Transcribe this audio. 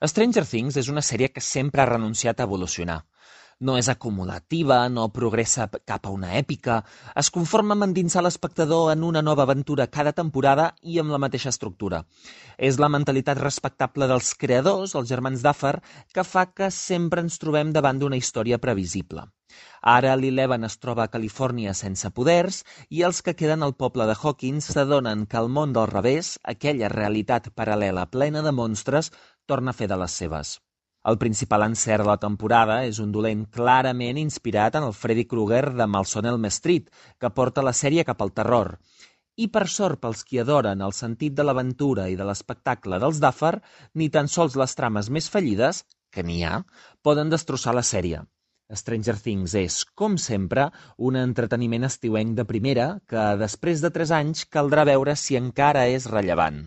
Stranger Things és una sèrie que sempre ha renunciat a evolucionar. No és acumulativa, no progressa cap a una èpica, es conforma amb endinsar l'espectador en una nova aventura cada temporada i amb la mateixa estructura. És la mentalitat respectable dels creadors, els germans Duffer, que fa que sempre ens trobem davant d'una història previsible. Ara l'Eleven es troba a Califòrnia sense poders i els que queden al poble de Hawkins s'adonen que el món del revés, aquella realitat paral·lela plena de monstres, torna a fer de les seves. El principal encert de la temporada és un dolent clarament inspirat en el Freddy Krueger de Malson Elm Street, que porta la sèrie cap al terror. I per sort pels qui adoren el sentit de l'aventura i de l'espectacle dels Duffer, ni tan sols les trames més fallides, que n'hi ha, poden destrossar la sèrie. Stranger Things és, com sempre, un entreteniment estiuenc de primera que, després de 3 anys, caldrà veure si encara és rellevant.